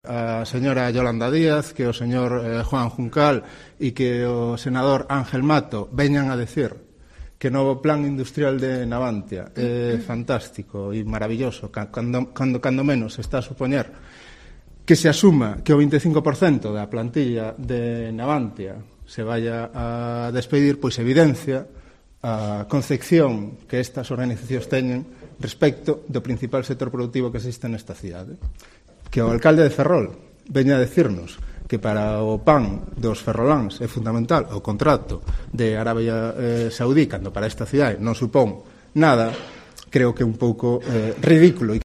A señora Yolanda Díaz, que o señor Juan Juncal e que o senador Ángel Mato veñan a decir que o novo plan industrial de Navantia é fantástico e maravilloso, cando menos está a supoñer que se asuma que o 25% da plantilla de Navantia se vaya a despedir, pois evidencia a concepción que estas organizacións teñen respecto do principal sector productivo que existe nesta cidade. Que o alcalde de Ferrol veña a decirnos que para o pan dos ferroláns é fundamental o contrato de Arabia Saudí, cando para esta cidade non supón nada, creo que é un pouco ridículo.